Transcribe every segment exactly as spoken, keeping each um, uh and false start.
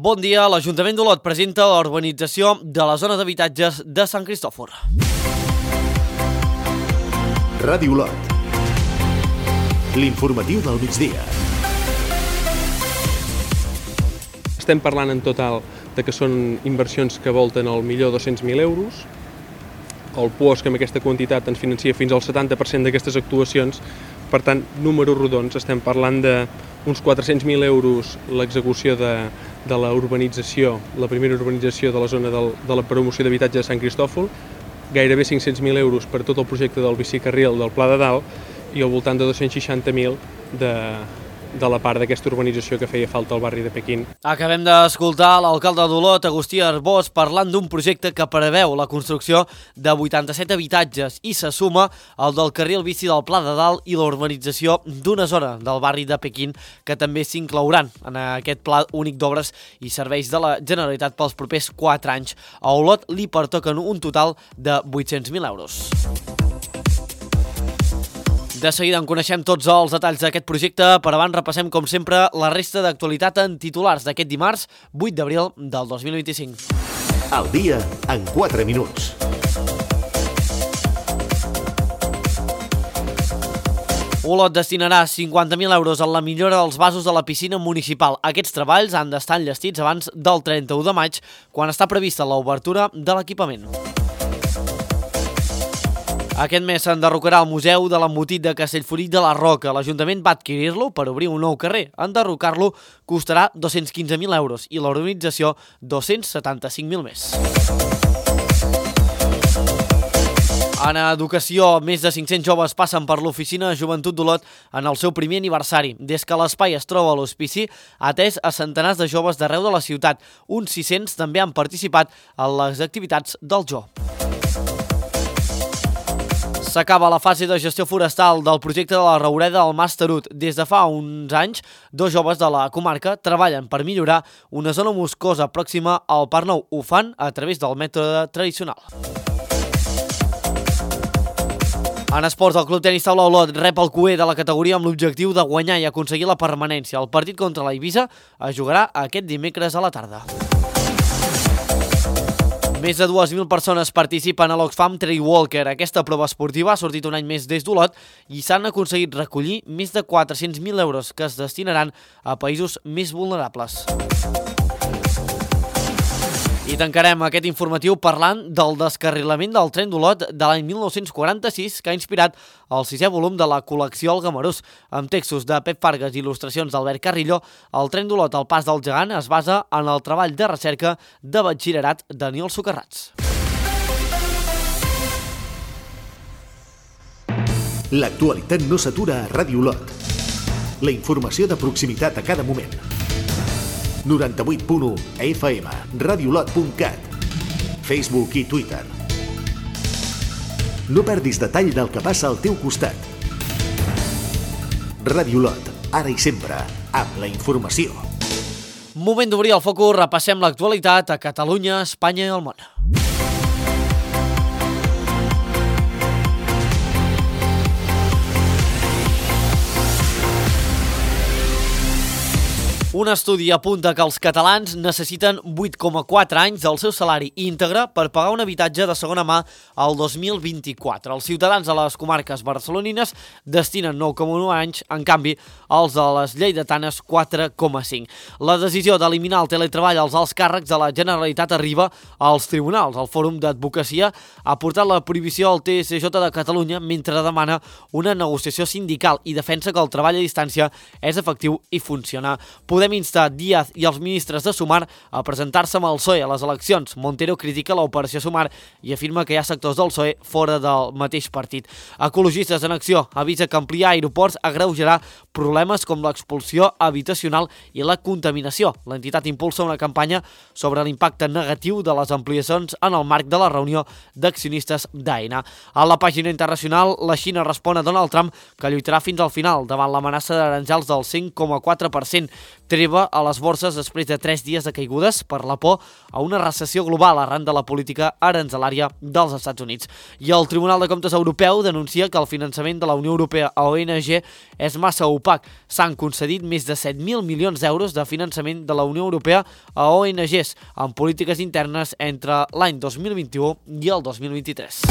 Bon dia, l'Ajuntament d'Olot presenta la urbanització de la zona d'habitatges de Sant Cristòfor. Ràdio Olot. L'informatiu del migdia. Estem parlant en total de que són inversions que volten al millor dos-cents mil euros. El P O S, que amb aquesta quantitat ens financia fins al setanta per cent d'aquestes actuacions. Per tant, números rodons, estem parlant d'uns quatre-cents mil euros l'execució de, de la urbanització, la primera urbanització de la zona del, de la promoció d'habitatge de Sant Cristòfor, gairebé cinc-cents mil euros per tot el projecte del bicicarril del Pla de Dalt i al voltant de dos-cents seixanta mil de, de la part d'aquesta urbanització que feia falta al barri de Pequín. Acabem d'escoltar l'alcalde d'Olot, Agustí Arbós, parlant d'un projecte que preveu la construcció de vuitanta-set habitatges i se suma al del carril bici del Pla de Dalt i la urbanització d'una zona del barri de Pequín que també s'inclouran en aquest pla únic d'obres i serveis de la Generalitat pels propers quatre anys. A Olot li pertoquen un total de vuit-cents mil euros. De seguida en coneixem tots els detalls d'aquest projecte, però abans repassem, com sempre, la resta d'actualitat en titulars d'aquest dimarts, vuit d'abril del dos mil vint-i-cinc. El dia en quatre minuts. Olot destinarà cinquanta mil euros en la millora dels vasos de la piscina municipal. Aquests treballs han d'estar enllestits abans del trenta-u de maig, quan està prevista l'obertura de l'equipament. Aquest mes s'enderrocarà el Museu de l'Embotit de Castellfollit de la Roca. L'Ajuntament va adquirir-lo per obrir un nou carrer. Enderrocar-lo costarà dos-cents quinze mil euros i l'urbanització dos-cents setanta-cinc mil més. En educació, més de cinc-cents joves passen per l'Oficina de Joventut d'Olot en el seu primer aniversari. Des que l'espai es troba a l'hospici, ha atès a centenars de joves d'arreu de la ciutat. Uns sis-cents també han participat en les activitats del Joo. S'acaba la fase de gestió forestal del projecte de la Roureda del Mas Tarut. Des de fa uns anys, dos joves de la comarca treballen per millorar una zona boscosa pròxima al Parc Nou. Ho fan a través del mètode tradicional. En esports, el Club Tenis Taula Olot rep el cué de la categoria amb l'objectiu de guanyar i aconseguir la permanència. El partit contra la Eivissa es jugarà aquest dimecres a la tarda. Més de dues mil persones participen a l'Oxfam Trail Walker. Aquesta prova esportiva ha sortit un any més des d'Olot i s'han aconseguit recollir més de quatre-cents mil euros que es destinaran a països més vulnerables. I tancarem aquest informatiu parlant del descarrilament del tren d'Olot de l'any mil nou-cents quaranta-sis que ha inspirat el sisè volum de la col·lecció El Gamarús. Amb textos de Pep Fargas i il·lustracions d'Albert Carrillo, el tren d'Olot al Pas del Gegant es basa en el treball de recerca de batxillerat Daniel Socarrats. L'actualitat no s'atura a Ràdio Olot. La informació de proximitat a cada moment. noranta-vuit punt u F M, radiolot punt cat, Facebook i Twitter. No perdis detall del que passa al teu costat. Ràdio Olot, ara i sempre, amb la informació. Moment d'obrir el focus, repassem l'actualitat a Catalunya, Espanya i el món. Un estudi apunta que els catalans necessiten vuit coma quatre anys del seu salari íntegre per pagar un habitatge de segona mà al dos mil vint-i-quatre. Els ciutadans de les comarques barcelonines destinen nou coma u anys, en canvi, els de les lleidatanes quatre coma cinc. La decisió d'eliminar el teletreball als alts càrrecs de la Generalitat arriba als tribunals. El Fòrum d'Advocacia ha portat la prohibició al T S J de Catalunya mentre demana una negociació sindical i defensa que el treball a distància és efectiu i funciona. Podem instar Díaz i els ministres de Sumar a presentar-se amb el P S O E a les eleccions. Montero critica l'operació Sumar i afirma que hi ha sectors del P S O E fora del mateix partit. Ecologistes en Acció avisa que ampliar aeroports agreujarà problemes com l'expulsió habitacional i la contaminació. L'entitat impulsa una campanya sobre l'impacte negatiu de les ampliacions en el marc de la reunió d'accionistes d'Aena. A la pàgina internacional, la Xina respon a Donald Trump que lluitarà fins al final davant l'amenaça d'aranjals del cinc coma quatre per cent. Treva a les borses després de tres dies de caigudes per la por a una recessió global arran de la política aranzelària dels Estats Units. I el Tribunal de Comptes Europeu denuncia que el finançament de la Unió Europea a O N G és massa opac. S'han concedit més de set mil milions d'euros de finançament de la Unió Europea a O N Gs en polítiques internes entre l'any dos mil vint-i-u i el dos mil vint-i-tres.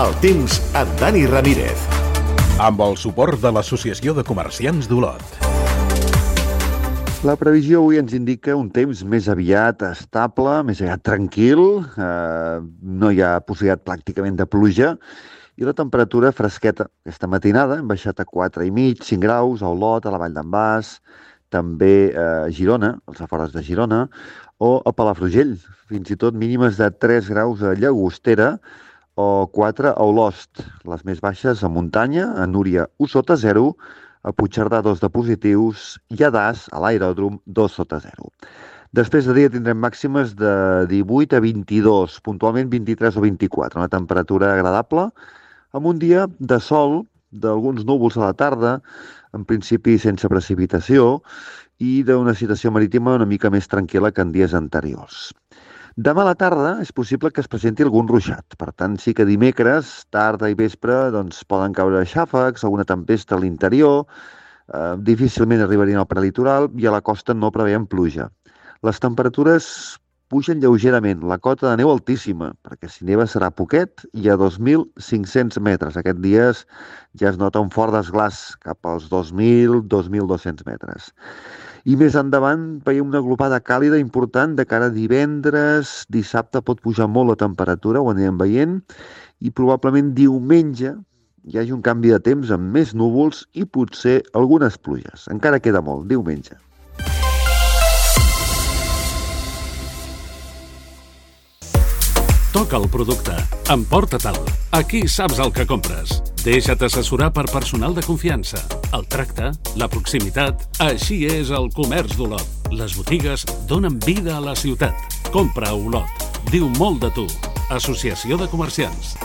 El temps amb Dani Ramírez. Amb el suport de l'Associació de Comerciants d'Olot. La previsió avui ens indica un temps més aviat estable, més aviat tranquil, eh, no hi ha possibilitat pràcticament de pluja, i la temperatura fresqueta. Aquesta matinada hem baixat a quatre i mig, cinc graus, a Olot, a la Vall d'en Bas, també a Girona, als afores de Girona, o a Palafrugell, fins i tot mínimes de tres graus a Llagostera, o quatre a Olost, les més baixes a Muntanya, a Núria, u sota zero, a Puigcerdà, dos de positius, i a Das, a l'aeròdrom, dos sota zero. Després de dia tindrem màximes de divuit a vint-i-dos, puntualment vint-i-tres o vint-i-quatre, una temperatura agradable, amb un dia de sol, d'alguns núvols a la tarda, en principi sense precipitació, i d'una situació marítima una mica més tranquil·la que en dies anteriors. Demà a la tarda és possible que es presenti algun ruixat. Per tant, sí que dimecres, tarda i vespre, doncs, poden caure xàfecs, alguna tempesta a l'interior, eh, difícilment arribarien al prelitoral i a la costa no preveiem pluja. Les temperatures pugen lleugerament, la cota de neu altíssima, perquè si neva serà poquet i a dos mil cinc-cents metres. Aquests dies ja es nota un fort desglàs cap als dos mil a dos mil dos-cents metres. I més endavant veiem una glopada càlida important de cara a divendres, dissabte pot pujar molt la temperatura, ho anirem veient, i probablement diumenge hi hagi un canvi de temps amb més núvols i potser algunes pluges. Encara queda molt, diumenge. Toca el producte, emporta-te'l. Aquí saps el que compres. Deixa't assessorar per personal de confiança. El tracte, la proximitat, així és el comerç d'Olot. Les botigues donen vida a la ciutat. Compra a Olot. Diu molt de tu. Associació de Comerciants.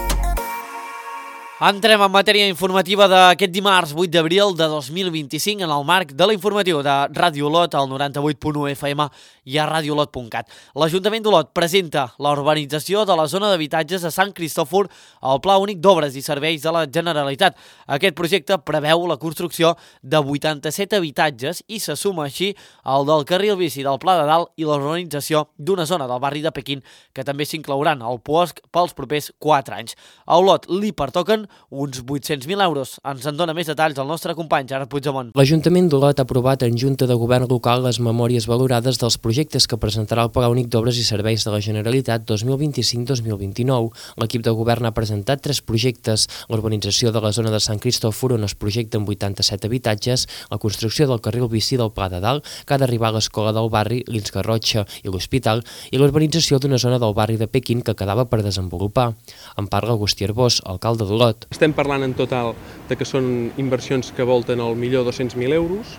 Entrem en matèria informativa d'aquest dimarts vuit d'abril de dos mil vint-i-cinc en el marc de l'informatiu de Ràdio Olot al noranta-vuit punt u F M i a radiolot punt cat. L'Ajuntament d'Olot presenta la urbanització de la zona d'habitatges de Sant Cristòfor al Pla Únic d'Obres i Serveis de la Generalitat. Aquest projecte preveu la construcció de vuitanta-set habitatges i se suma així al del carril bici del Pla de Dalt i la urbanització d'una zona del barri de Pequín que també s'inclouran al Puosc pels propers quatre anys. A Olot li pertoquen uns vuit-cents mil euros. Ens en dona més detalls el nostre company Gerard Puigdemont. L'Ajuntament d'Olot ha aprovat en Junta de Govern Local les memòries valorades dels projectes que presentarà el Pla Únic d'Obres i Serveis de la Generalitat dos mil vint-i-cinc dos mil vint-i-nou. L'equip de govern ha presentat tres projectes: l'urbanització de la zona de Sant Cristòfor, on es projecten vuitanta-set habitatges, la construcció del carril bici del Pla de Dalt, que ha d'arribar a l'escola del barri, l'Ins Garrotxa i l'Hospital, i l'urbanització d'una zona del barri de Pequín que quedava per desenvolupar. En parla Agustí Arbós, alcalde d'Olot. Estem parlant en total de que són inversions que volten al millor dos-cents mil euros.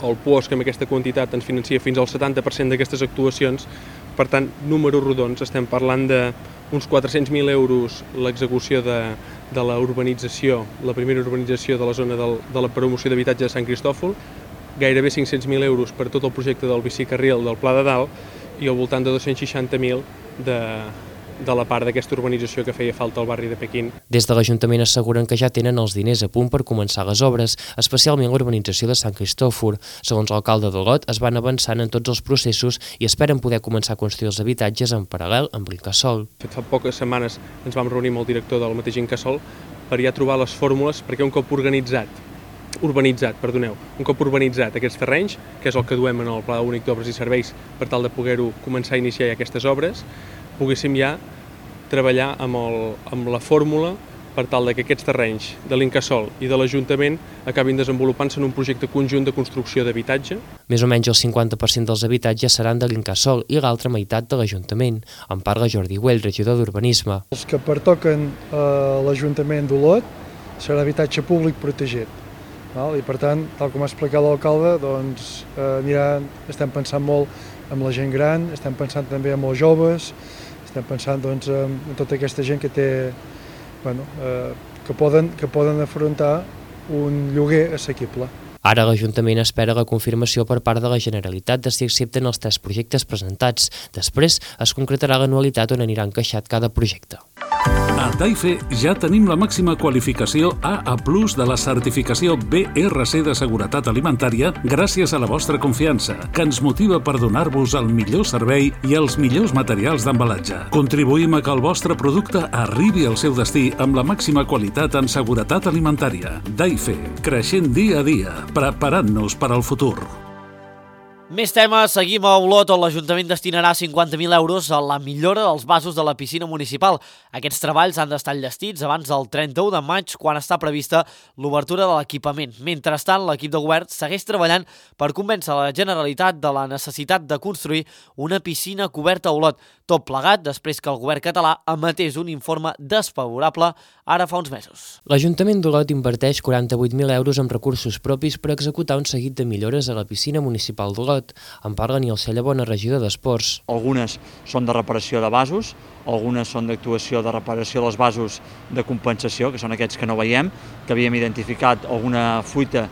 El Puosc amb aquesta quantitat ens financia fins al setanta per cent d'aquestes actuacions. Per tant, números rodons, estem parlant d'uns quatre-cents mil euros l'execució de, de la urbanització, la primera urbanització de la zona del, de la promoció d'habitatge de Sant Cristòfol, gairebé cinc-cents mil euros per tot el projecte del bicicarril del Pla de Dalt i al voltant de dos-cents seixanta mil de... de la part d'aquesta urbanització que feia falta al barri de Pequín. Des de l'Ajuntament asseguren que ja tenen els diners a punt per començar les obres, especialment l'urbanització de Sant Cristòfor. Segons l'alcalde d'Olot, es van avançant en tots els processos i esperen poder començar a construir els habitatges en paral·lel amb l'Incasòl. Fa poques setmanes ens vam reunir amb el director del mateix Incasòl per ja trobar les fórmules perquè un cop organitzat, urbanitzat, perdoneu, un cop urbanitzat aquests terrenys, que és el que duem en el Pla Únic d'Obres i Serveis per tal de poder-ho començar a iniciar ja aquestes obres, poguéssim ja treballar amb, el, amb la fórmula per tal que aquests terrenys de l'Incasòl i de l'Ajuntament acabin desenvolupant-se en un projecte conjunt de construcció d'habitatge. Més o menys el cinquanta per cent dels habitatges seran de l'Incasòl i l'altra meitat de l'Ajuntament. En parla Jordi Güell, regidor d'Urbanisme. Els que pertoquen a l'Ajuntament d'Olot serà habitatge públic protegit. I per tant, tal com ha explicat l'alcalde, doncs, eh, mirant, estem pensant molt en la gent gran, estem pensant també en els joves, Estem pensant doncs, en tota aquesta gent que té, bueno, eh, que poden, que poden afrontar un lloguer assequible. Ara l'Ajuntament espera la confirmació per part de la Generalitat de si accepten els tres projectes presentats. Després es concretarà l'anualitat on anirà encaixat cada projecte. A Taife ja tenim la màxima qualificació A A plus de la certificació B R C de seguretat alimentària gràcies a la vostra confiança, que ens motiva per donar-vos el millor servei i els millors materials d'embalatge. Contribuïm a que el vostre producte arribi al seu destí amb la màxima qualitat en seguretat alimentària. Taife, creixent dia a dia, preparant-nos per al futur. Més temes, seguim a Olot, on l'Ajuntament destinarà cinquanta mil euros a la millora dels vasos de la piscina municipal. Aquests treballs han d'estar enllestits abans del trenta-u de maig, quan està prevista l'obertura de l'equipament. Mentrestant, l'equip de govern segueix treballant per convèncer la Generalitat de la necessitat de construir una piscina coberta a Olot. Tot plegat després que el govern català emetés un informe desfavorable ara fa uns mesos. L'Ajuntament d'Olot inverteix quaranta-vuit mil euros amb recursos propis per executar un seguit de millores a la piscina municipal d'Olot. En parla Nil Cellabona, regidor d'Esports. Algunes són de reparació de vasos, algunes són d'actuació de reparació dels vasos de compensació, que són aquests que no veiem, que havíem identificat alguna fuita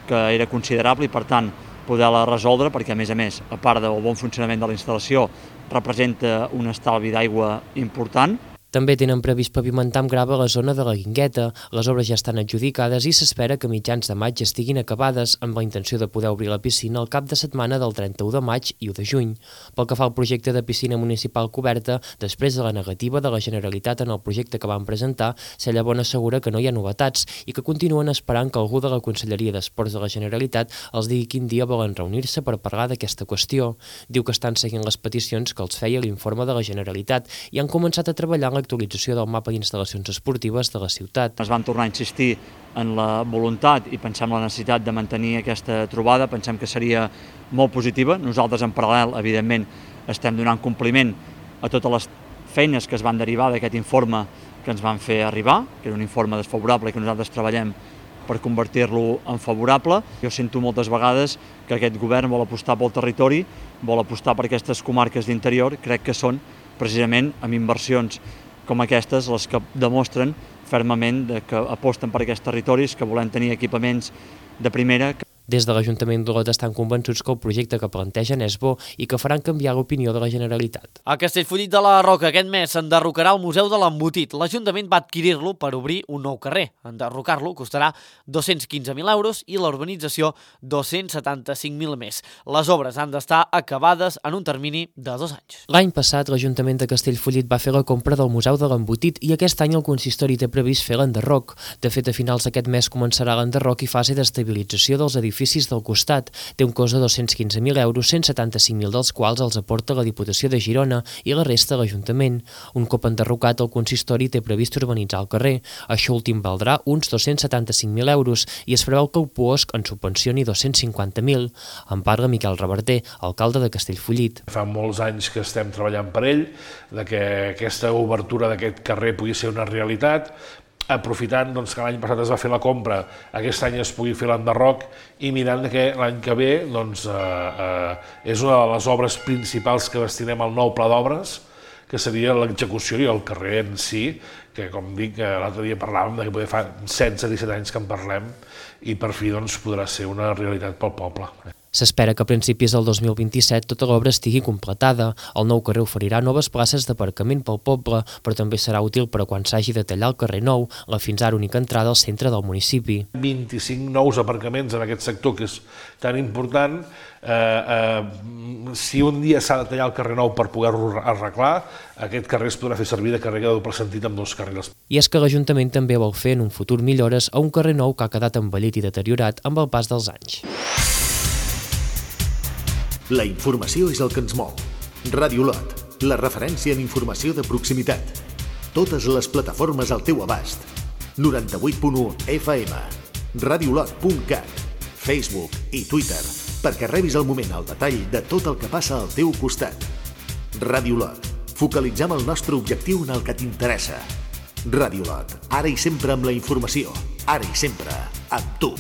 que era considerable i, per tant, poder-la resoldre, perquè, a més a més, a part del bon funcionament de la instal·lació, representa un estalvi d'aigua important. També tenen previst pavimentar amb grava la zona de la Guingueta. Les obres ja estan adjudicades i s'espera que a mitjans de maig estiguin acabades, amb la intenció de poder obrir la piscina al cap de setmana del trenta-u de maig i u de juny. Pel que fa al projecte de piscina municipal coberta, després de la negativa de la Generalitat en el projecte que van presentar, Cellabona assegura que no hi ha novetats i que continuen esperant que algú de la Conselleria d'Esports de la Generalitat els digui quin dia volen reunir-se per parlar d'aquesta qüestió. Diu que estan seguint les peticions que els feia l'informe de la Generalitat i han començat a treballar en l'actualització del mapa d'instal·lacions esportives de la ciutat. Es van tornar a insistir en la voluntat i pensem la necessitat de mantenir aquesta trobada, pensem que seria molt positiva. Nosaltres, en paral·lel, evidentment, estem donant compliment a totes les feines que es van derivar d'aquest informe que ens van fer arribar, que era un informe desfavorable i que nosaltres treballem per convertir-lo en favorable. Jo sento moltes vegades que aquest govern vol apostar pel territori, vol apostar per aquestes comarques d'interior, crec que són precisament amb inversions com aquestes les que demostren fermament que aposten per aquests territoris, que volem tenir equipaments de primera. Des de l'Ajuntament d'Olot estan convençuts que el projecte que plantegen és bo i que faran canviar l'opinió de la Generalitat. A Castellfollit de la Roca aquest mes s'enderrocarà el Museu de l'Embotit. L'Ajuntament va adquirir-lo per obrir un nou carrer. Enderrocar-lo costarà dos-cents quinze mil euros i l'urbanització dos-cents setanta-cinc mil més. Les obres han d'estar acabades en un termini de dos anys. L'any passat, l'Ajuntament de Castellfollit va fer la compra del Museu de l'Embotit i aquest any el consistori té previst fer l'enderroc. De fet, a finals d'aquest mes començarà l'enderroc i fase d'estabilització dels edificis del costat. Té un cost de dos-cents quinze mil euros, cent setanta-cinc mil dels quals els aporta la Diputació de Girona i la resta l'Ajuntament. Un cop enderrocat, el consistori té previst urbanitzar el carrer. Això últim valdrà uns dos-cents setanta-cinc mil euros i es preveu que el Puosc en subvencioni dos-cents cinquanta mil. En parla Miquel Reverter, alcalde de Castellfollit. Fa molts anys que estem treballant per ell, de que aquesta obertura d'aquest carrer pugui ser una realitat, aprofitant doncs, que l'any passat es va fer la compra, aquest any es pugui fer l'enderroc i mirant que l'any que ve doncs, eh, eh, és una de les obres principals que destinem al nou pla d'obres, que seria l'execució i el carrer en si, que com dic, l'altre dia parlàvem de que poder fa setze disset anys que en parlem i per fi doncs, podrà ser una realitat pel poble. S'espera que a principis del dos mil vint-i-set tota l'obra estigui completada. El nou carrer oferirà noves places d'aparcament pel poble, però també serà útil per a quan s'hagi de tallar el carrer Nou, la fins ara única entrada al centre del municipi. vint-i-cinc nous aparcaments en aquest sector que és tan important. Eh, eh, si un dia s'ha de tallar el carrer Nou per poder-lo arreglar, aquest carrer es podrà fer servir de carrer de doble sentit amb dos carrils. I és que l'Ajuntament també vol fer en un futur millores a un carrer nou que ha quedat envellit i deteriorat amb el pas dels anys. La informació és el que ens mou. Ràdio Olot, la referència en informació de proximitat. Totes les plataformes al teu abast. noranta-vuit punt u F M, radiolot punt cat, Facebook i Twitter, perquè rebis al moment el detall de tot el que passa al teu costat. Ràdio Olot, focalitzem el nostre objectiu en el que t'interessa. Ràdio Olot, ara i sempre amb la informació, ara i sempre amb tu.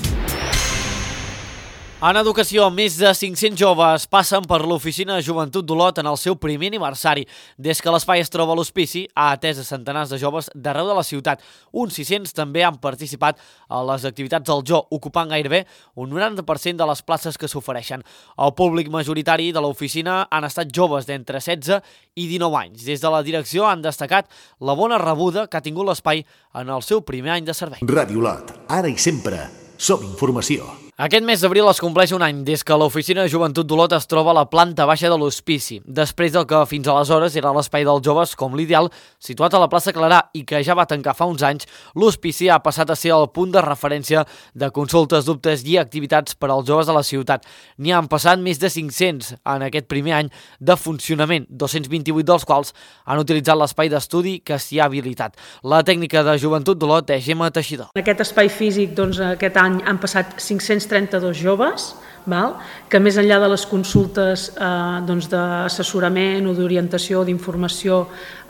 En educació, més de cinc-cents joves passen per l'Oficina de Joventut d'Olot en el seu primer aniversari. Des que l'espai es troba a l'hospici, ha atès a centenars de joves d'arreu de la ciutat. Uns sis-cents també han participat a les activitats del Joo, ocupant gairebé un noranta per cent de les places que s'ofereixen. El públic majoritari de l'oficina han estat joves d'entre setze i dinou anys. Des de la direcció han destacat la bona rebuda que ha tingut l'espai en el seu primer any de servei. Ràdio Olot, ara i sempre, som informació. Aquest mes d'abril es compleix un any des que l'Oficina de Joventut d'Olot es troba a la planta baixa de l'hospici, després del que fins aleshores era l'espai dels joves com l'ideal, situat a la plaça Clarà i que ja va tancar fa uns anys. L'hospici ha passat a ser el punt de referència de consultes, dubtes i activitats per als joves de la ciutat. N'hi han passat més de cinc-cents en aquest primer any de funcionament, dos-cents vint-i-vuit dels quals han utilitzat l'espai d'estudi que s'hi ha habilitat. La tècnica de Joventut d'Olot és Gemma Teixidor. En aquest espai físic, doncs, aquest any han passat cinc-cents trenta-dos joves, val? Que més enllà de les consultes eh, doncs d'assessorament o d'orientació o d'informació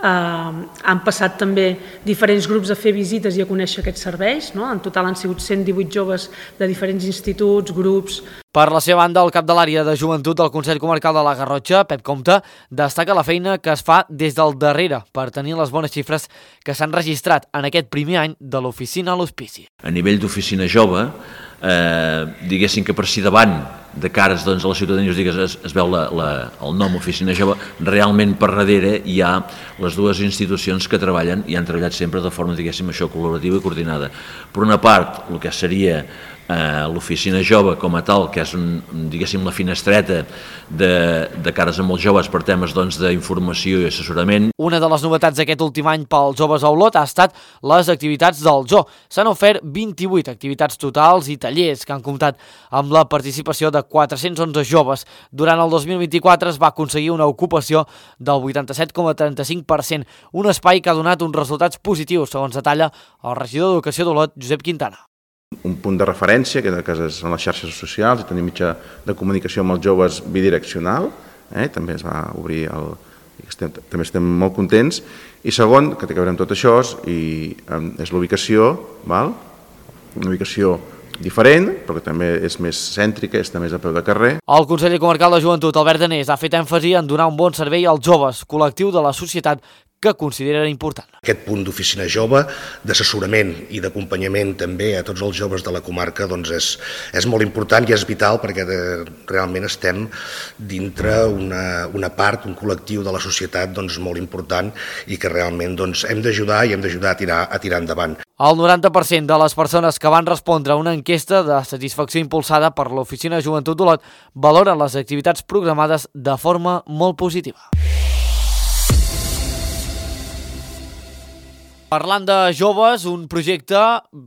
eh, han passat també diferents grups a fer visites i a conèixer aquests serveis, no? En total han sigut cent divuit joves de diferents instituts, grups. Per la seva banda, el cap de l'àrea de joventut del Consell Comarcal de la Garrotxa, Pep Comte, destaca la feina que es fa des del darrere per tenir les bones xifres que s'han registrat en aquest primer any de l'oficina a l'hospici. A nivell d'oficina jove, eh, diguéssim que per si davant de cares doncs, a la ciutadania digues, es, es veu la, la, el nom Oficina Jove, realment per darrere hi ha les dues institucions que treballen i han treballat sempre de forma, diguéssim, això, col·laborativa i coordinada. Per una part, el que seria eh, l'Oficina Jove com a tal, que és, un, diguéssim, la finestreta de, de cares a molts joves per temes doncs, d'informació i assessorament. Una de les novetats d'aquest últim any pels joves a Olot ha estat les activitats del Joo. S'han ofert vint-i-vuit activitats totals i tallers que han comptat amb la participació de quatre-cents onze joves. Durant el dos mil vint-i-quatre es va aconseguir una ocupació del vuitanta-set coma trenta-cinc per cent, un espai que ha donat uns resultats positius, segons detalla el regidor d'Educació d'Olot, Josep Quintana. Un punt de referència, que són les xarxes socials i tenir mitjà de comunicació amb els joves bidireccional, eh? També es va obrir, el, estem, també estem molt contents. I segon, que té que veure amb tot això, i, és l'ubicació, val? Una ubicació diferent, però que també és més cèntrica, està més a peu de carrer. El conseller comarcal de Joventut, Albert Danés, ha fet èmfasi en donar un bon servei als joves, col·lectiu de la societat que considera important. Aquest punt d'oficina jove, d'assessorament i d'acompanyament també a tots els joves de la comarca doncs és, és molt important i és vital perquè de, realment estem dintre una, una part, un col·lectiu de la societat doncs, molt important i que realment doncs, hem d'ajudar i hem d'ajudar a tirar, a tirar endavant. El noranta per cent de les persones que van respondre a una enquesta de satisfacció impulsada per l'Oficina de Joventut d'Olot valoren les activitats programades de forma molt positiva. Parlant de joves, un projecte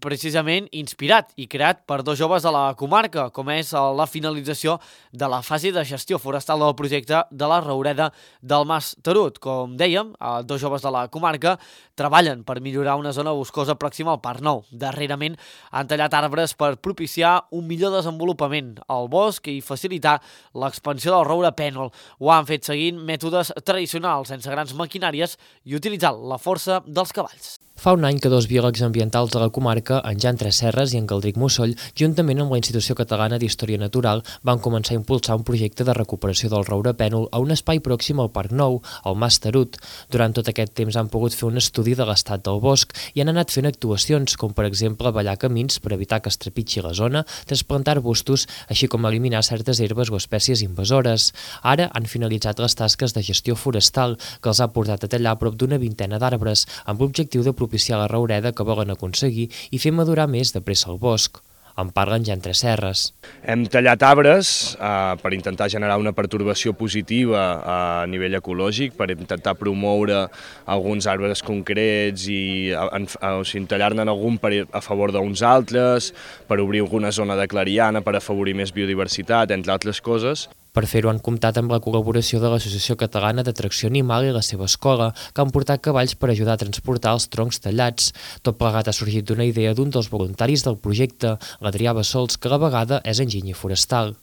precisament inspirat i creat per dos joves de la comarca, com és la finalització de la fase de gestió forestal del projecte de la Roureda del Mas Tarut. Com dèiem, dos joves de la comarca treballen per millorar una zona boscosa pròxima al Parc Nou. Darrerament han tallat arbres per propiciar un millor desenvolupament al bosc i facilitar l'expansió del roure pènol. Ho han fet seguint mètodes tradicionals, sense grans maquinàries i utilitzant la força dels cavalls. Fa un any que dos biòlegs ambientals de la comarca, en Jan Tresserres i en Caldric Mussoll, juntament amb la Institució Catalana d'Història Natural, van començar a impulsar un projecte de recuperació del roure pènol a un espai pròxim al Parc Nou, al Mas Tarut. Durant tot aquest temps han pogut fer un estudi de l'estat del bosc i han anat fent actuacions, com per exemple ballar camins per evitar que es trepitgi la zona, trasplantar arbustos, així com eliminar certes herbes o espècies invasores. Ara han finalitzat les tasques de gestió forestal, que els ha portat a tallar prop d'una vintena d'arbres, amb l'objectiu de propiciar la roureda que volen aconseguir i fer madurar més de pressa el bosc. En parlen Jan Tresserres. Hem tallat arbres eh, per intentar generar una pertorbació positiva a nivell ecològic, per intentar promoure alguns arbres concrets i en, o sigui, tallar-ne algun per, a favor d'uns altres, per obrir alguna zona de clariana, per afavorir més biodiversitat, entre altres coses. Per fer-ho han comptat amb la col·laboració de l'Associació Catalana d'Atracció Animal i la seva escola, que han portat cavalls per ajudar a transportar els troncs tallats. Tot plegat ha sorgit d'una idea d'un dels voluntaris del projecte, l'Adrià Bassols, que a la vegada és enginyer forestal.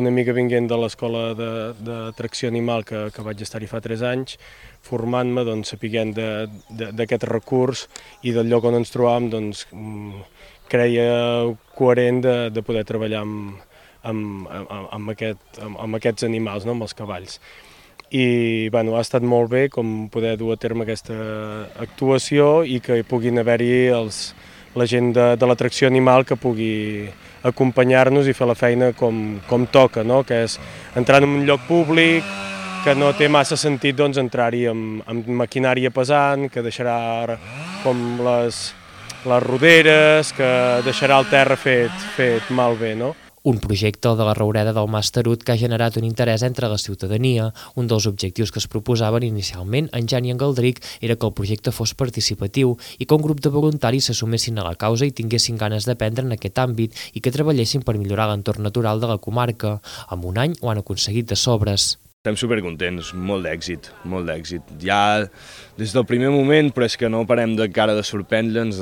Una mica vinguent de l'escola d'atracció animal que, que vaig estar-hi fa tres anys, formant-me, doncs, sapiguent d'aquest recurs i del lloc on ens trobàvem, doncs, creia coherent de, de poder treballar amb amb, amb, amb, aquest, amb, amb aquests animals, no? Amb els cavalls. I bueno, ha estat molt bé com poder dur a terme aquesta actuació i que hi puguin haver-hi els, la gent de, de l'atracció animal que pugui acompanyar-nos i fer la feina com, com toca, no? Que és entrar en un lloc públic, que no té massa sentit doncs, entrar-hi amb, amb maquinària pesant, que deixarà com les, les roderes, que deixarà el terra fet, fet malbé, no? Un projecte de la Roureda del Mas Tarut que ha generat un interès entre la ciutadania. Un dels objectius que es proposaven inicialment en Jan i en Galdric era que el projecte fos participatiu i que un grup de voluntaris s'assumessin a la causa i tinguessin ganes d'aprendre en aquest àmbit i que treballessin per millorar l'entorn natural de la comarca. En un any ho han aconseguit de sobres. Estem supercontents, molt d'èxit, molt d'èxit. Ja des del primer moment, però és que no parem de cara de sorprendre'ns.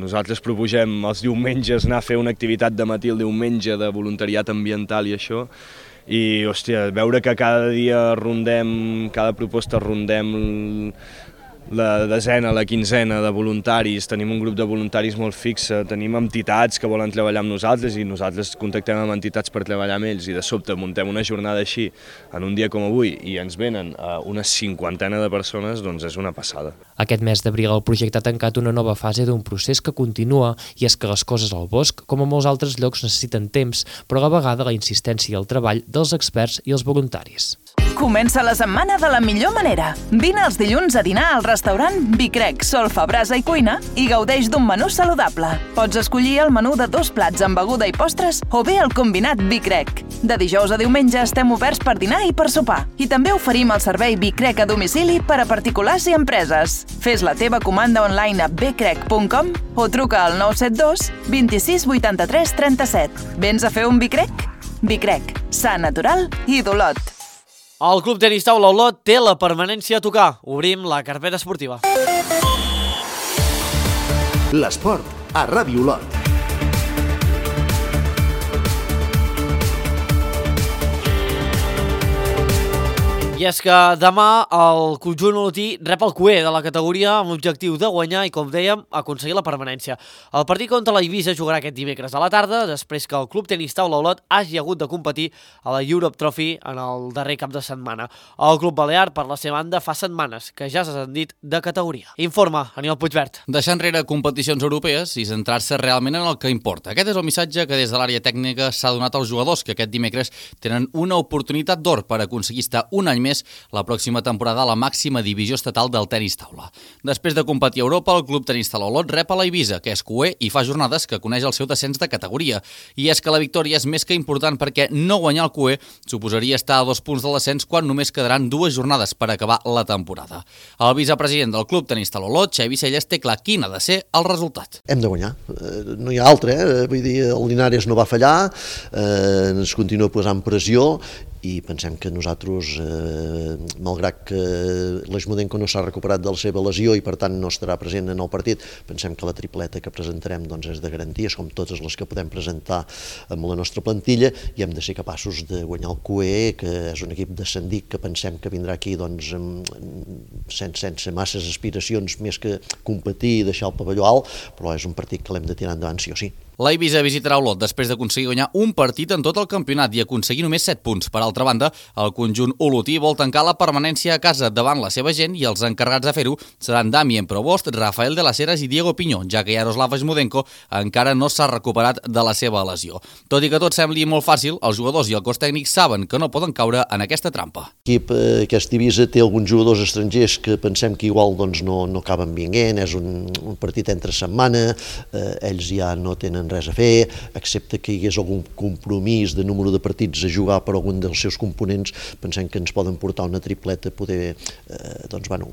Nosaltres proposem els diumenges anar a fer una activitat de matí el diumenge de voluntariat ambiental i això, i hòstia, veure que cada dia rondem, cada proposta rondem la desena, la quinzena de voluntaris, tenim un grup de voluntaris molt fixe, tenim entitats que volen treballar amb nosaltres i nosaltres contactem amb entitats per treballar amb ells i de sobte muntem una jornada així en un dia com avui i ens venen una cinquantena de persones, doncs és una passada. Aquest mes d'abril el projecte ha tancat una nova fase d'un procés que continua i és que les coses al bosc, com a molts altres llocs, necessiten temps, però a la vegada la insistència i el treball dels experts i els voluntaris. Comença la setmana de la millor manera. Vine els dilluns a dinar al restaurant Bicrec, Solfa, Brasa i Cuina i gaudeix d'un menú saludable. Pots escollir el menú de dos plats amb beguda i postres o bé el combinat Bicrec. De dijous a diumenge estem oberts per dinar i per sopar. I també oferim el servei Bicrec a domicili per a particulars i empreses. Fes la teva comanda online a bcrec punt com o truca al nou set dos vint-i-sis vuitanta-tres trenta-set. Vens a fer un Bicrec? Bicrec, sa, natural i d'Olot. El Club Tenis Taula Olot té la permanència a tocar. Obrim la carpeta esportiva. L'esport a Ràdio Olot. I és que demà el conjunt olotí rep el Q E de la categoria amb l'objectiu de guanyar i, com dèiem, aconseguir la permanència. El partit contra la Eivissa jugarà aquest dimecres a la tarda, després que el Club Tenis Taula Olot hagi hagut de competir a la Europe Trophy en el darrer cap de setmana. El Club Balear, per la seva banda, fa setmanes que ja s'ha ascendit de categoria. Informa Aniol Puigvert. Deixar enrere competicions europees i centrar-se realment en el que importa. Aquest és el missatge que des de l'àrea tècnica s'ha donat als jugadors, que aquest dimecres tenen una oportunitat d'or per aconseguir estar un any més la pròxima temporada a la màxima divisió estatal del tenis taula. Després de competir a Europa, el Club Tenis Taula Olot rep a la Eivissa, que és Q E i fa jornades que coneix el seu descens de categoria. I és que la victòria és més que important perquè no guanyar el Q E suposaria estar a dos punts del descens quan només quedaran dues jornades per acabar la temporada. El vicepresident del Club Tenis Taula Olot, Xavi Celles, té clar quin ha de ser el resultat. Hem de guanyar, no hi ha altre, eh? Vull dir, el Linares no va fallar, eh, ens continua posant pressió i pensem que nosaltres, eh, malgrat que l'Eixmudenco no s'ha recuperat de la seva lesió i per tant no estarà present en el partit, pensem que la tripleta que presentarem doncs, és de garanties, com totes les que podem presentar amb la nostra plantilla, i hem de ser capaços de guanyar el Q E, que és un equip descendit que pensem que vindrà aquí doncs, sense, sense masses aspiracions més que competir i deixar el pavelló alt, però és un partit que l'hem de tirar endavant sí o sí. La Eivissa visitarà Olot després d'aconseguir guanyar un partit en tot el campionat i aconseguir només set punts. Per altra banda, el conjunt olotí vol tancar la permanència a casa davant la seva gent i els encarregats de fer-ho seran Damien Provost, Rafael de las Heras i Diego Piñó, ja que Yaroslav Eixmudenko encara no s'ha recuperat de la seva lesió. Tot i que tot sembli molt fàcil, els jugadors i el cos tècnic saben que no poden caure en aquesta trampa. L'equip, eh, aquesta Eivissa té alguns jugadors estrangers que pensem que igual doncs, no, no acaben vinguent, és un, un partit entre setmana, eh, ells ja no tenen res a fer, excepte que hi hagués algun compromís de número de partits a jugar per algun dels seus components, pensem que ens poden portar una tripleta poder, eh, doncs, bueno,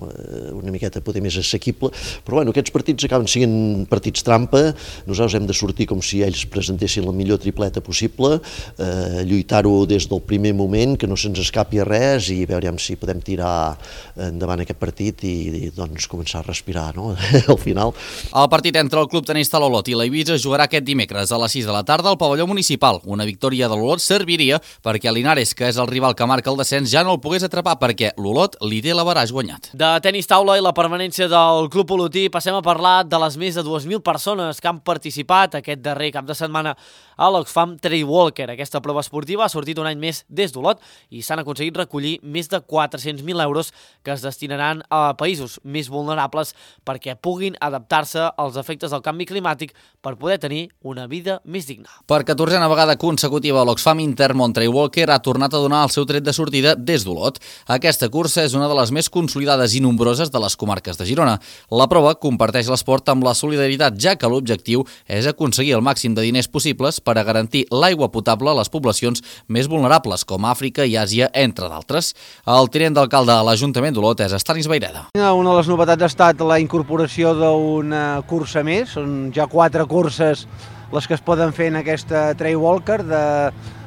una miqueta poder més assequible, però bueno, aquests partits acaben sent partits trampa, nosaltres hem de sortir com si ells presentessin la millor tripleta possible, eh, lluitar-ho des del primer moment, que no se'ns escapi a res i veurem si podem tirar endavant aquest partit i, i doncs començar a respirar, no? Al final. El partit entre el Club Tenis Taula Olot i la Eivissa jugarà aquest aquest dimecres a les sis de la tarda al pavelló municipal. Una victòria de l'Olot serviria perquè Linares, que és el rival que marca el descens, ja no el pogués atrapar perquè l'Olot li té l'averaix guanyat. De tenis taula i la permanència del Club Olotí passem a parlar de les més de dues mil persones que han participat aquest darrer cap de setmana a l'Oxfam Trail Walker. Aquesta prova esportiva ha sortit un any més des d'Olot i s'han aconseguit recollir més de quatre-cents mil euros que es destinaran a països més vulnerables perquè puguin adaptar-se als efectes del canvi climàtic per poder tenir una vida més digna. Per catorzena vegada consecutiva, l'Oxfam Intermont Trail Walker ha tornat a donar el seu tret de sortida des d'Olot. Aquesta cursa és una de les més consolidades i nombroses de les comarques de Girona. La prova comparteix l'esport amb la solidaritat, ja que l'objectiu és aconseguir el màxim de diners possibles per a garantir l'aigua potable a les poblacions més vulnerables, com Àfrica i Àsia, entre d'altres. El tinent d'alcalde a l'Ajuntament d'Olot és Estanis Vaireda. Una de les novetats ha estat la incorporació d'una cursa més. Són ja quatre curses les que es poden fer en aquesta Trail Walker, de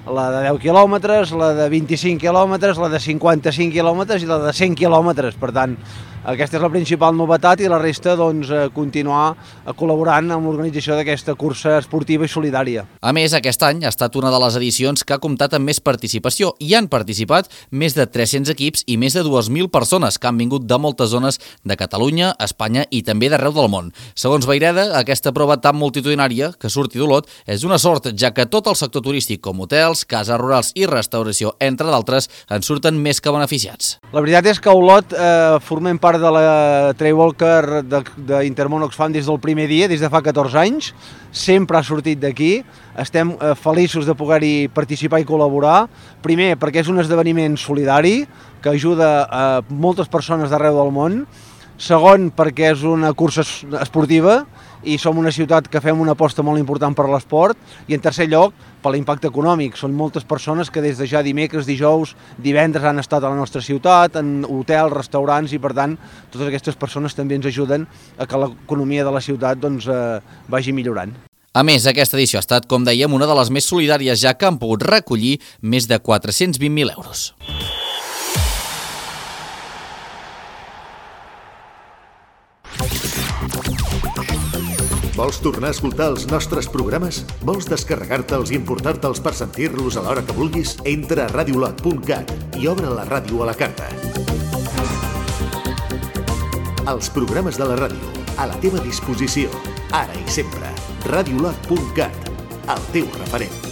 la de deu quilòmetres, la de vint-i-cinc quilòmetres, la de cinquanta-cinc quilòmetres i la de cent quilòmetres. Per tant, aquesta és la principal novetat i la resta, doncs, continuar col·laborant amb l'organització d'aquesta cursa esportiva i solidària. A més, aquest any ha estat una de les edicions que ha comptat amb més participació i han participat més de tres-cents equips i més de dues mil persones que han vingut de moltes zones de Catalunya, Espanya i també d'arreu del món. Segons Vaireda, aquesta prova tan multitudinària que surti d'Olot és una sort, ja que tot el sector turístic com hotels, cases rurals i restauració, entre d'altres, en surten més que beneficiats. La veritat és que a Olot eh, formem part de la Trail Walker d'Intermont Oxfam des del primer dia, des de fa catorze anys. Sempre ha sortit d'aquí. Estem eh, feliços de poder-hi participar i col·laborar. Primer, perquè és un esdeveniment solidari que ajuda a moltes persones d'arreu del món. Segon, perquè és una cursa esportiva i som una ciutat que fem una aposta molt important per l'esport. I en tercer lloc, per l'impacte econòmic. Són moltes persones que des de ja dimecres, dijous, divendres han estat a la nostra ciutat, en hotels, restaurants, i per tant, totes aquestes persones també ens ajuden a que l'economia de la ciutat doncs, eh, vagi millorant. A més, aquesta edició ha estat, com dèiem, una de les més solidàries, ja que han pogut recollir més de quatre-cents vint mil euros. Vols tornar a escoltar els nostres programes? Vols descarregar-te'ls i importar-te'ls per sentir-los a l'hora que vulguis? Entra a radiolot punt cat i obre la ràdio a la carta. Els programes de la ràdio, a la teva disposició, ara i sempre. radiolot punt cat, el teu referent.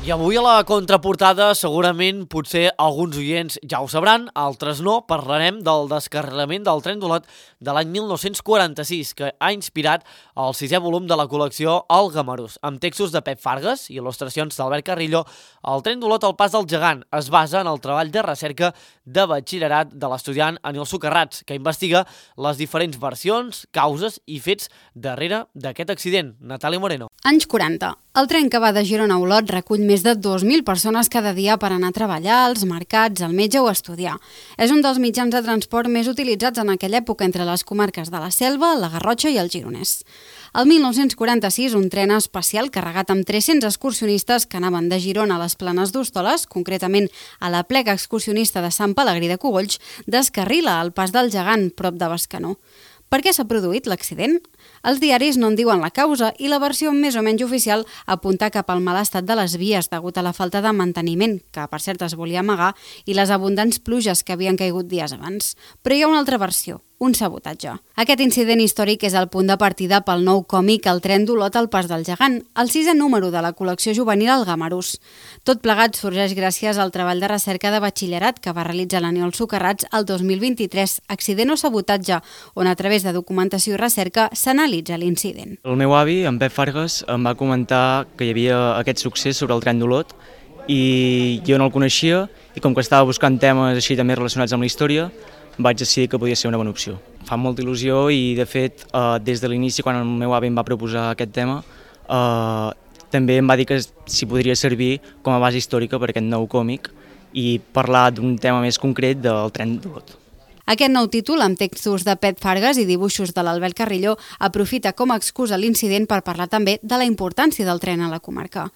I avui a la contraportada, segurament, potser alguns oients ja ho sabran, altres no, parlarem del descarrilament del tren d'Olot de l'any mil nou-cents quaranta-sis, que ha inspirat el sisè volum de la col·lecció El Gamarús. Amb textos de Pep Fargas i il·lustracions d'Albert Carrillo, el tren d'Olot al pas del gegant es basa en el treball de recerca de batxillerat de l'estudiant Anil Socarrats, que investiga les diferents versions, causes i fets darrere d'aquest accident. Natàlia Moreno. Anys quaranta. El tren que va de Girona a Olot recull més de dos mil persones cada dia per anar a treballar, als mercats, al metge o a estudiar. És un dels mitjans de transport més utilitzats en aquella època entre les comarques de la Selva, la Garrotxa i el Gironès. El mil nou-cents quaranta-sis, un tren especial carregat amb tres-cents excursionistes que anaven de Girona a les Planes d'Hostoles, concretament a la plega excursionista de Sant Pelegrí de Cogolls, descarrila al pas del gegant, prop de Bescanó. Per què s'ha produït l'accident? Els diaris no en diuen la causa i la versió més o menys oficial apunta cap al mal estat de les vies degut a la falta de manteniment, que per cert es volia amagar, i les abundants pluges que havien caigut dies abans. Però hi ha una altra versió, un sabotatge. Aquest incident històric és el punt de partida pel nou còmic El tren d'Olot al pas del gegant, el sisè número de la col·lecció juvenil El Gamarús. Tot plegat sorgeix gràcies al treball de recerca de batxillerat que va realitzar l'Aniol Socarrats el dos mil vint-i-tres, accident o sabotatge, on a través de documentació i recerca s'analitza l'incident. El meu avi, en Pep Fargas, em va comentar que hi havia aquest succés sobre el tren d'Olot i jo no el coneixia i com que estava buscant temes així també relacionats amb la història, vaig decidir que podia ser una bona opció. Fa molta il·lusió i, de fet, eh, des de l'inici, quan el meu avi em va proposar aquest tema, eh, també em va dir que s'hi podria servir com a base històrica per aquest nou còmic i parlar d'un tema més concret del tren d'Olot. Aquest nou títol, amb textos de Pet Fargas i dibuixos de l'Albert Carrillo, aprofita com a excusa l'incident per parlar també de la importància del tren a la comarca.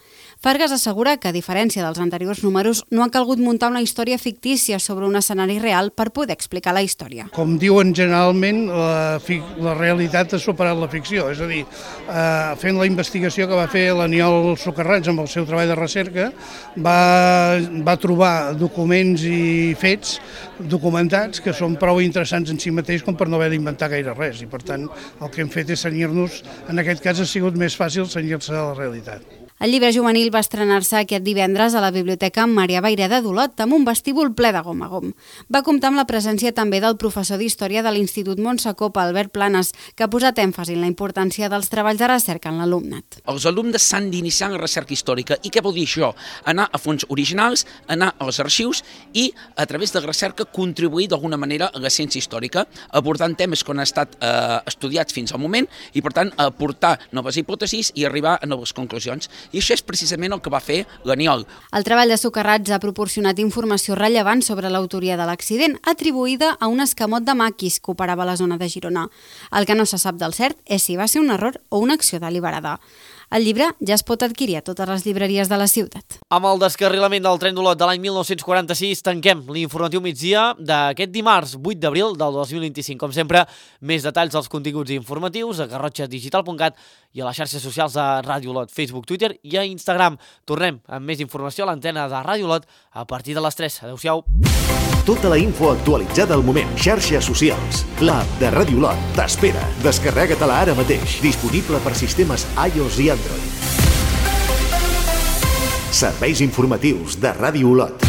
Fargas assegura que, a diferència dels anteriors números, no ha calgut muntar una història fictícia sobre un escenari real per poder explicar la història. Com diuen generalment, la, la realitat ha superat la ficció, és a dir, eh, fent la investigació que va fer l'Aniol Socarrats amb el seu treball de recerca, va, va trobar documents i fets documentats que són prou interessants en si mateix com per no haver d'inventar gaire res, i per tant el que hem fet és cenyir-nos, en aquest cas ha sigut més fàcil cenyir-se a la realitat. El llibre juvenil va estrenar-se aquest divendres a la Biblioteca Maria Vayreda d'Olot amb un vestíbul ple de gom a gom. Va comptar amb la presència també del professor d'Història de l'Institut Montsacopa, Albert Planes, que ha posat èmfasi en la importància dels treballs de recerca en l'alumnat. Els alumnes s'han d'iniciar en recerca històrica. I què vol dir això? Anar a fons originals, anar als arxius i, a través de la recerca, contribuir d'alguna manera a la ciència històrica, abordant temes que han estat eh, estudiats fins al moment i, per tant, aportar noves hipòtesis i arribar a noves conclusions. I això és precisament el que va fer l'Aniol. El treball de Socarrats ha proporcionat informació rellevant sobre l'autoria de l'accident, atribuïda a un escamot de maquis que operava a la zona de Girona. El que no se sap del cert és si va ser un error o una acció deliberada. El llibre ja es pot adquirir a totes les llibreries de la ciutat. Amb el descarrilament del tren d'Olot de l'any mil nou-cents quaranta-sis tanquem l'informatiu migdia d'aquest dimarts vuit d'abril del dos mil vint-i-cinc. Com sempre, més detalls als continguts informatius a garrotxa digital punt cat i a les xarxes socials de Ràdio Olot, Facebook, Twitter i a Instagram. Tornem amb més informació a l'antena de Ràdio Olot a partir de les tres. Adéu-siau. Tota la info actualitzada al moment. Xarxes socials. L'app de Ràdio Olot t'espera. Descarrega-te-la ara mateix. Disponible per sistemes iOS i Android. Serveis informatius de Ràdio Olot.